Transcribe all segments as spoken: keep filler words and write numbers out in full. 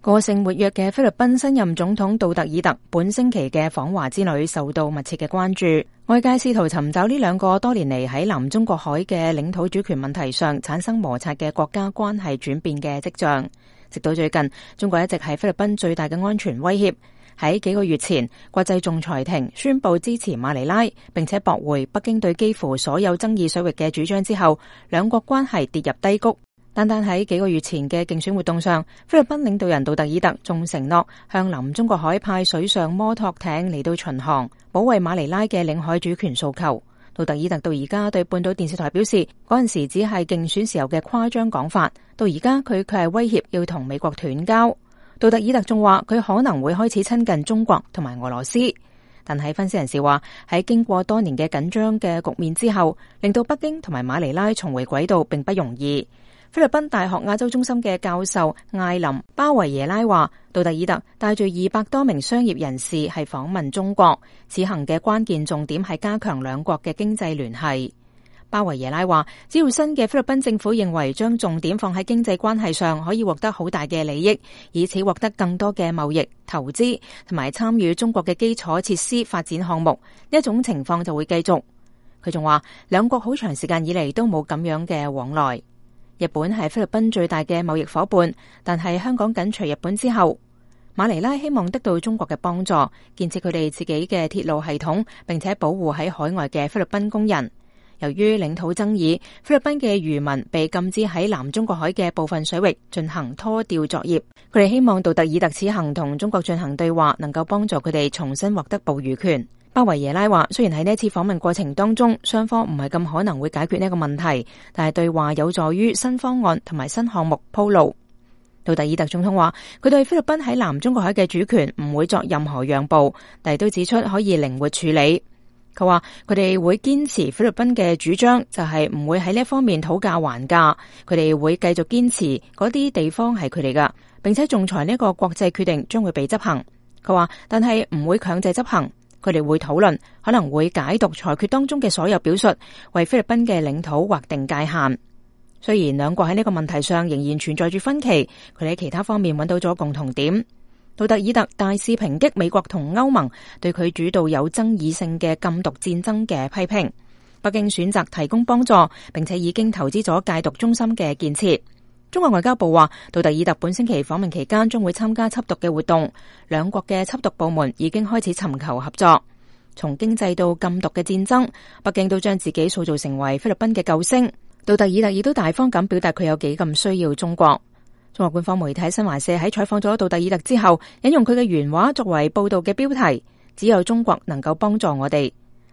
個性活躍嘅菲律賓新任總統杜特爾特本星期嘅訪華之旅受到密切嘅關注，外界試圖尋找呢兩個多年嚟喺南中國海嘅領土主權問題上產生摩擦嘅國家關係轉變嘅跡象。直到最近，中國一直係菲律賓最大嘅安全威脅。喺幾個月前，國際仲裁庭宣布支持馬尼拉，並且駁回北京對幾乎所有爭議水域嘅主張之後，兩國關係跌入低谷。單單喺幾個月前嘅競選活動上，菲律賓領導人杜特爾特仲承諾向南中國海派水上摩托艇嚟到巡航，保衛馬尼拉嘅領海主權訴求。杜特爾特到而家對半島電視台表示，嗰陣時只係競選時候嘅誇張講法，到而家佢卻係威脅要同美國斷交。杜特爾特仲話佢可能會開始親近中國同埋俄羅斯，但係分析人士話喺經過多年嘅緊張嘅局面之後，令到北京同埋馬尼拉重回軌道並不容易。菲律賓大學亞洲中心嘅教授艾琳巴維耶拉話，杜特爾特帶住二百多名商業人士係訪問中國，此行嘅關鍵重點係加強兩國嘅經濟聯繫。巴維耶拉話，只要新嘅菲律賓政府認為將重點放喺經濟關係上，可以獲得好大嘅利益，以此獲得更多嘅貿易、投資同埋參與中國嘅基礎設施發展項目，呢一種情況就會繼續。佢仲話，兩國好長時間以嚟都冇咁樣嘅往來。日本係菲律賓最大嘅貿易夥伴，但係香港緊隨日本之後，馬尼拉希望得到中國嘅幫助，建設佢哋自己嘅鐵路系統，並且保護喺海外嘅菲律賓工人。由於領土爭議，菲律賓嘅漁民被禁止喺南中國海嘅部分水域進行拖釣作業。佢哋希望杜特爾特此行同中國進行對話，能夠幫助佢哋重新獲得捕魚權。巴維耶拉話，雖然喺呢一次訪問過程當中，雙方唔係咁可能會解決呢個問題，但係對話有助於新方案同埋新項目鋪路。杜特爾特總統話，佢對菲律賓喺南中國海嘅主權唔會作任何讓步，但係都指出可以靈活處理。佢話佢哋會堅持菲律賓嘅主張，就係唔會喺呢一方面討價還價，佢哋會繼續堅持嗰啲地方係佢哋噶，並且仲裁呢個國際決定將會被執行。佢話，但係唔會強制執行。佢哋會討論，可能會解讀裁決當中嘅所有表述，為菲律賓嘅領土劃定界限。雖然兩國喺呢個問題上仍然存在住分歧，佢哋喺其他方面揾到咗共同點。杜特爾特大肆抨擊美國同歐盟對佢主導有爭議性嘅禁毒戰爭嘅批評。北京選擇提供幫助，並且已經投資咗戒毒中心嘅建設。中國外交部話，杜特爾特本星期訪問期間將會參加緝毒嘅活動，兩國嘅緝毒部門已經開始尋求合作。從經濟到禁毒嘅戰爭，北京都將自己塑造成為菲律賓嘅救星。杜特爾特亦都大方咁表達佢有幾咁需要中國。中國官方媒體新華社喺採訪咗杜特爾特之後，引用佢嘅原話作為報道嘅標題，只有中國能夠幫助我哋。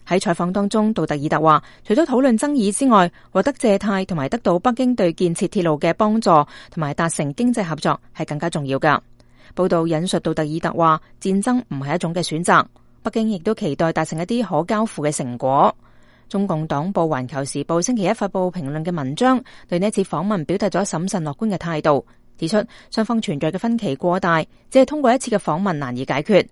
喺採訪當中，杜特爾特話，除咗討論爭議之外，獲得借貸同埋得到北京對建設鐵路嘅幫助，同埋達成經濟合作係更加重要噶。報道引述杜特爾特話，戰爭唔係一種嘅選擇，北京亦都期待達成一啲可交付嘅成果。中共黨報《環球時報》星期一發佈評論嘅文章，對呢次訪問表達咗審慎樂觀嘅態度，指出雙方存在嘅分歧過大，只係通過一次嘅訪問難以解決。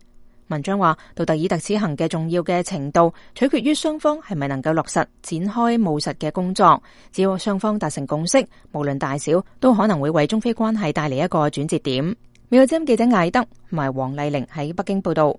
文章話，杜特爾特此行嘅重要嘅程度取決於雙方係咪能夠落實展開務實嘅工作。只要雙方達成共識，無論大小，都可能會為中菲關係帶嚟一個轉折點。美國之音記者艾德同埋黃麗玲喺北京報道。